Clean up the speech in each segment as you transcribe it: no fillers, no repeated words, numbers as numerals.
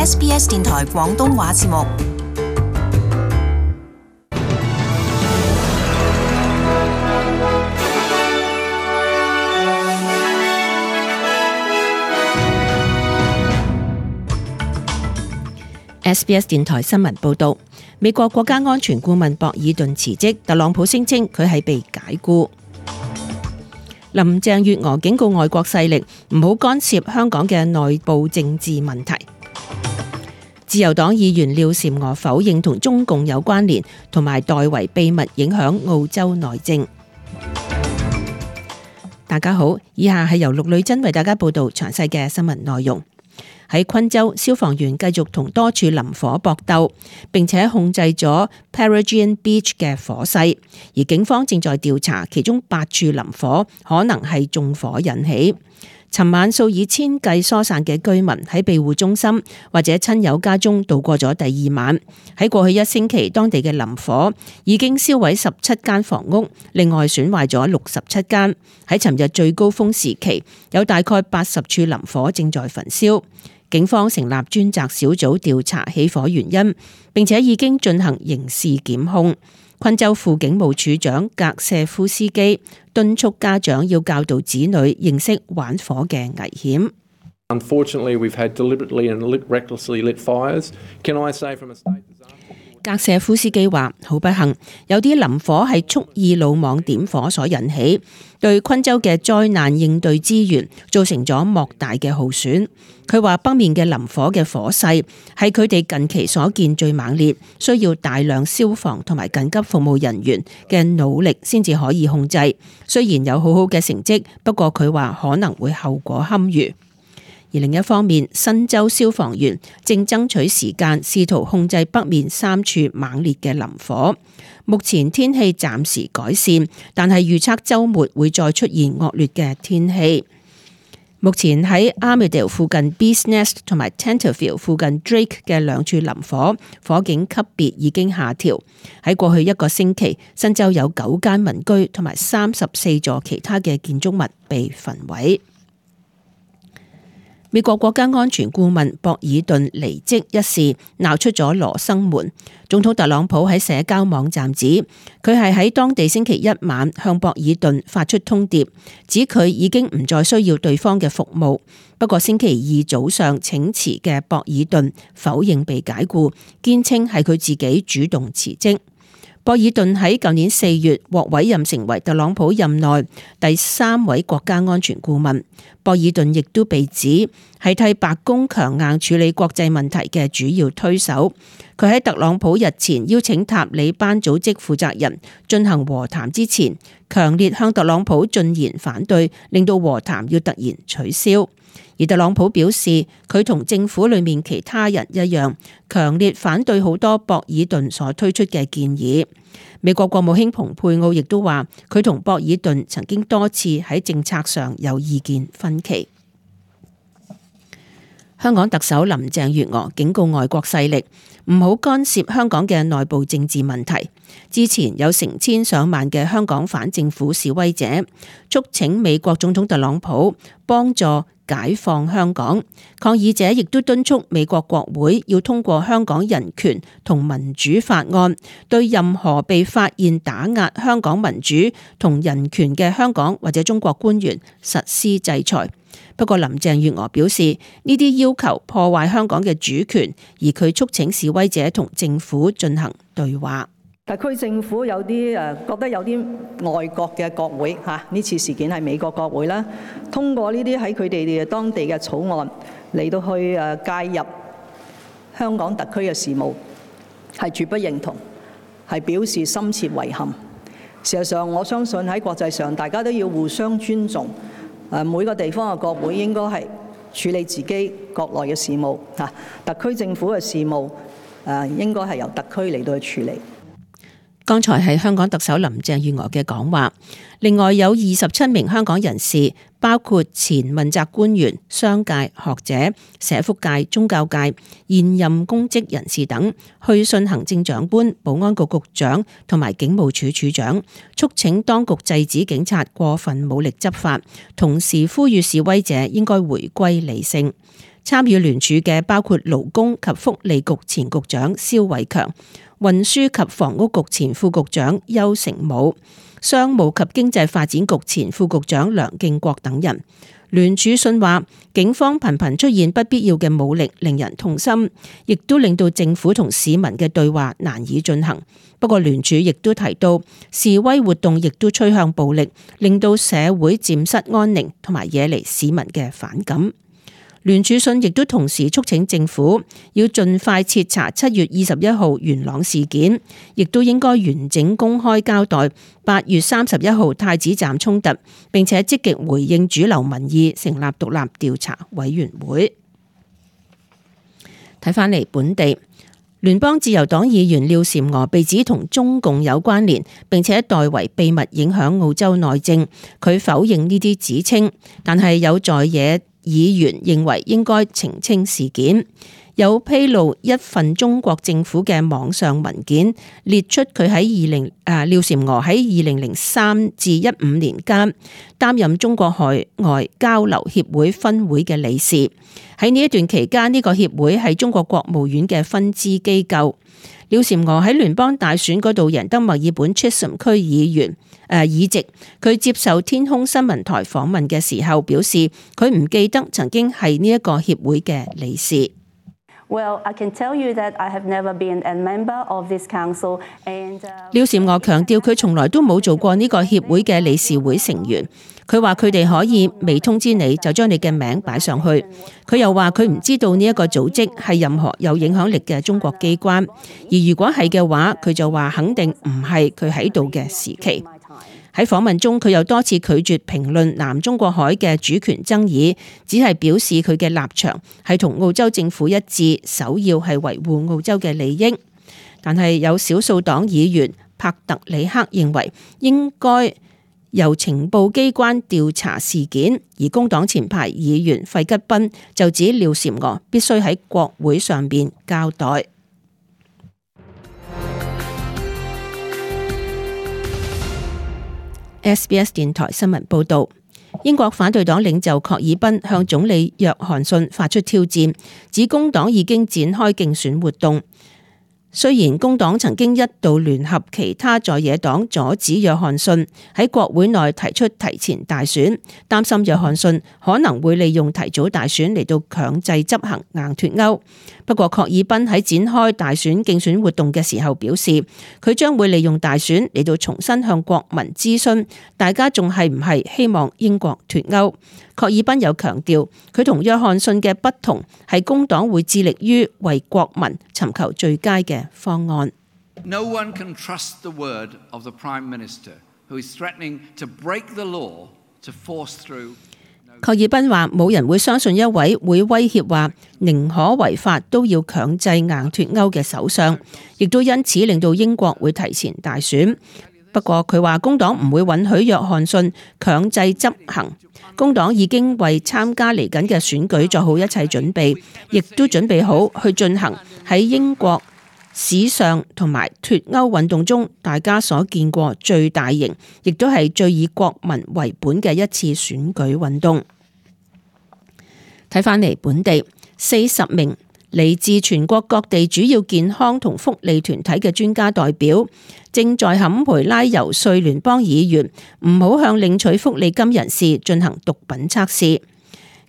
SBS 電台廣東話節目。SBS 電台新聞報道，美國國家安全顧問博爾頓辭職，特朗普聲稱佢係被解僱。林鄭月娥警告外國勢力唔好干涉香港嘅內部政治問題。自由黨議員廖嬋娥否認同中共有關聯，同埋代為秘密影響澳洲內政。大家好，以下係由陸女珍為大家報道詳細嘅新聞內容。喺昆州，消防員繼續同多處林火搏鬥，並且控制咗 Peregian Beach 嘅火勢，而警方正在調查其中8處林火可能係縱火引起。尋晚數以千計疏散嘅居民喺庇護中心或者親友家中度過咗第2晚。喺過去1星期，當地嘅林火已經燒毀17間房屋，另外損壞咗67間。喺尋日最高峰時期，有大概80處林火正在焚燒。警方成立專責小組調查起火原因，並且已經進行刑事檢控。昆州副警務處長格謝夫斯基敦促家長要教導子女認識玩火嘅危險。Unfortunately, we've had deliberately and recklessly lit fires. Can I say from a state disaster? 格謝夫斯基話：好不幸，有啲林火係蓄意魯莽點火所引起，對昆州嘅災難應對資源造成咗莫大嘅耗損。佢話北面嘅林火嘅火勢係佢哋近期所見最猛烈，需要大量消防同埋緊急服務人員嘅努力先至可以控制。雖然有好好嘅成績，不過佢話可能會後果堪虞。而另一方面，新州消防員正爭取時間，試圖控制北面3處猛烈嘅林火。目前天氣暫時改善，但係預測週末會再出現惡劣嘅天氣。目前喺 Armidale 附近 Bees Nest 同埋 Tenterfield 附近 Drake 嘅2處林火，火警級別已經下調。喺過去1個星期，新州有9間民居同埋34座其他嘅建築物被焚毀。美國國家安全顧問博爾頓離職一事鬧出咗羅生門。總統特朗普喺社交網站指，佢係喺當地星期1晚向博爾頓發出通牒，指佢已經唔再需要對方嘅服務。不過星期2早上請辭嘅博爾頓否認被解僱，堅稱係佢自己主動辭職。博爾頓喺舊年4月獲委任成為特朗普任內第3位國家安全顧問。博爾頓亦都被指係替白宮強硬處理國際問題嘅主要推手。佢喺特朗普日前邀請塔利班組織負責人進行和談之前，強烈向特朗普進言反對，令到和談要突然取消。而特朗普表示，佢同政府裏面其他人一樣，強烈反對好多博爾頓所推出嘅建議。美國國務卿蓬佩奧亦都話，佢同博爾頓曾經多次喺政策上有意見分歧。香港特首林鄭月娥警告外國勢力唔好干涉香港嘅內部政治問題。之前有成千上萬嘅香港反政府示威者促請美國總統特朗普幫助解放香港，抗議者亦都敦促美國國會要通過香港人權同民主法案，對任何被發現打壓香港民主同人權嘅香港或者中國官員實施制裁。不過林鄭月娥表示，呢啲要求破壞香港嘅主權，而佢促請示威者同政府進行對話。特區政府有啲覺得有啲外國嘅國會呢次事件係美國國會啦，通過呢啲喺佢哋當地嘅草案嚟到去介入香港特區嘅事務，係絕不認同，係表示深切遺憾。事實上，我相信喺國際上大家都要互相尊重，每個地方嘅國會應該係處理自己國內嘅事務，特區政府嘅事務應該係由特區嚟到去處理。剛才係香港特首林鄭月娥嘅講話。另外有27名香港人士，包括前問責官員、商界、學者、社福界、宗教界、現任公職人士等，去信行政長官、保安局局長同埋警務處處長，促請當局制止警察過分武力執法，同時呼籲示威者應該回歸理性。參與聯署嘅包括勞工及福利局前局長蕭偉強、運輸及房屋局前副局長邱成武、商務及經濟發展局前副局長梁敬國等人。聯署信話，警方頻頻出現不必要嘅武力，令人痛心，亦都令到政府同市民嘅對話難以進行。不過聯署亦都提到，示威活動亦都趨向暴力，令到社會漸失安寧，同埋惹嚟市民嘅反感。聯署信亦都同時促請政府要盡快徹查7月21號元朗事件，亦都應該完整公開交代8月31號太子站衝突，並且積極回應主流民意，成立獨立調查委員會。睇返嚟本地，聯邦自由黨議員廖嬋娥被指同中共有關聯，並且代為秘密影響澳洲內政，佢否認呢啲指稱，但係有在野議員認為應該澄清事件，有披露一份中國政府嘅網上文件，列出佢喺廖嬋娥喺2003至15年間擔任中國海外交流協會分會嘅理事。喺呢一段期間，呢個協會係中國國務院嘅分支機構。廖嬋娥喺聯邦大選嗰度贏得墨爾本 Chisholm 區議席，佢接受天空新聞台訪問嘅時候表示，佢唔記得曾經係呢一個協會嘅理事。Well, I can tell you that I have never been a member of this council and 廖嬋娥強調佢從來都冇做過呢個協會嘅理事會成員。佢話佢哋可以未通知你就將你嘅名擺上去。佢又話佢唔知道呢一個組織係任何有影響力嘅中國機關，而如果係嘅話，佢就話肯定唔係佢喺度嘅時期。喺訪問中，佢又多次拒絕評論南中國海嘅主權爭議，只係表示佢嘅立場係同澳洲政府一致，首要係維護澳洲嘅利益。但係有少數黨議員帕特里克認為應該由情報機關調查事件，而工黨前排議員費吉賓就指廖嬋娥必須喺國會上邊交代。SBS 電台新聞報道，英國反對黨領袖郝爾賓向總理約翰遜發出挑戰，指工黨已經展開競選活動。雖然工黨曾經一度聯合其他在野黨阻止約翰遜喺國會內提出提前大選，擔心約翰遜可能會利用提早大選嚟到強制執行硬脫歐。不過，郝爾賓喺展開大選競選活動嘅時候表示，佢將會利用大選嚟到重新向國民諮詢，大家仲係唔係希望英國脫歐？郝爾賓有強調，佢同約翰遜嘅不同係工黨會致力於為國民尋求最佳嘅方案。No one can trust the word of the Prime Minister, who is threatening to break the law to force through。郝爾賓話：冇人會相信一位會威脅話寧可違法都要強制硬脫歐嘅首相，亦都因此令到英國會提前大選。不過佢話工黨唔會允許約翰遜強制執行。工黨已經為參加嚟緊嘅選舉做好一切準備，亦都準備好去進行喺英國史上同埋脫歐運動中大家所見過最大型，亦都係最以國民為本嘅一次選舉運動。睇返嚟本地40名嚟自全國各地主要健康同福利團體嘅專家代表，正在坎培拉游說聯邦議員唔好向領取福利金人士進行毒品測試。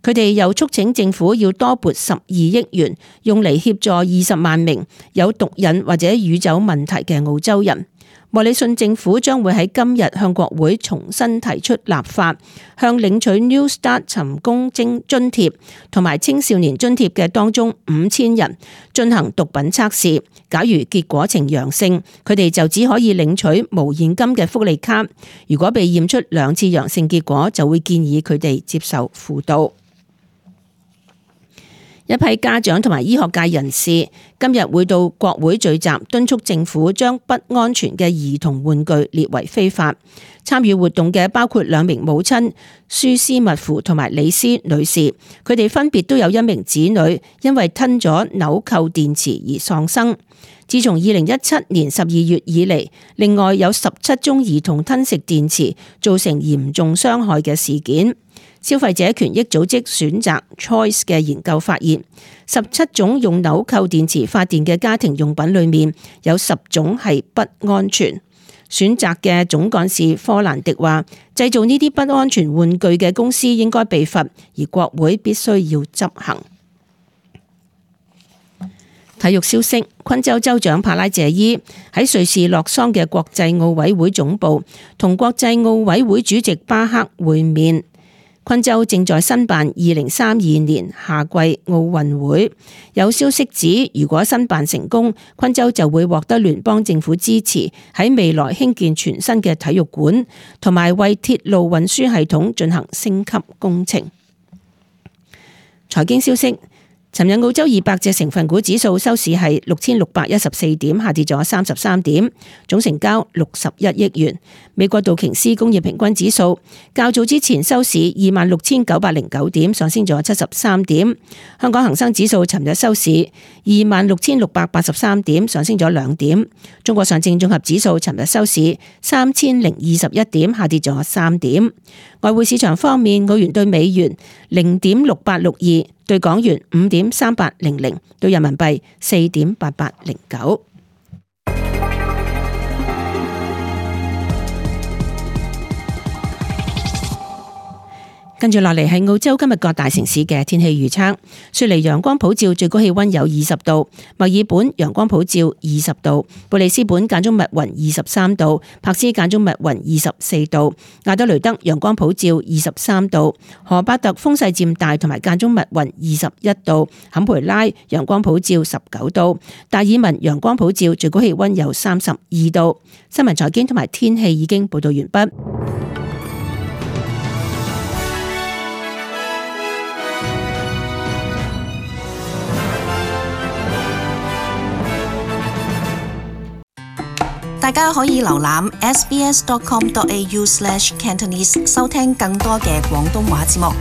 佢哋又促請政府要多撥12億元，用嚟協助20萬名有毒癮或者酗酒問題嘅澳洲人。莫里遜政府將會喺今日向國會重新提出立法，向領取 New Start 尋工津貼同埋青少年津貼嘅當中5000人進行毒品測試。假如結果呈陽性，佢哋就只可以領取無現金嘅福利卡。如果被驗出2次陽性結果，就會建議佢哋接受輔導。一批家長同埋醫學界人士今日會到國會聚集，敦促政府將不安全嘅兒童玩具列為非法。參與活動嘅包括2名母親舒斯密夫同埋李斯女士，佢哋分別都有1名子女因為吞咗紐扣電池而喪生。自從2017年12月以嚟，另外有17宗兒童吞食電池造成嚴重傷害嘅事件。消費者權益組織選擇 Choice 嘅研究發現，17種用紐扣電池發電嘅家庭用品裏面有10種係不安全。選擇嘅總幹事科蘭迪話，製造呢啲不安全玩具嘅公司應該被罰，而國會必須要執行。體育消息，昆州州長帕拉謝伊喺瑞士洛桑嘅國際奧委會總部同國際奧委會主席巴克會面。昆州正在申辦2032年夏季奧運會，有消息指，如果申辦成功，昆州就會獲得聯邦政府支持，喺未來興建全新嘅體育館，同埋為鐵路運輸系統進行升級工程。財經消息。尋日澳洲200隻成分股指數收市係6614點，下跌咗33點，總成交61億元。美國道瓊斯工業平均指數較早之前收市26,909點，上升咗73點。香港恒生指數尋日收市26,683點，上升咗2點。中國上證綜合指數尋日收市3021點，下跌咗3點。外匯市場方面，澳元對美元0.6862，對港元5.3800，對人民幣4.8809。跟住落嚟係澳洲今日各大城市嘅天氣預測。雪梨陽光普照，最高氣溫有20度；墨爾本陽光普照20度；布里斯本間中密雲23度；柏斯間中密雲24度；亞德雷德陽光普照23度；荷伯特風勢漸大同埋間中密雲21度；坎培拉陽光普照19度；達爾文陽光普照，最高氣溫有32度。新聞財經同埋天氣已經報道完畢。大家可以瀏覽 sbs.com.au/cantonese 收聽更多嘅廣東話節目。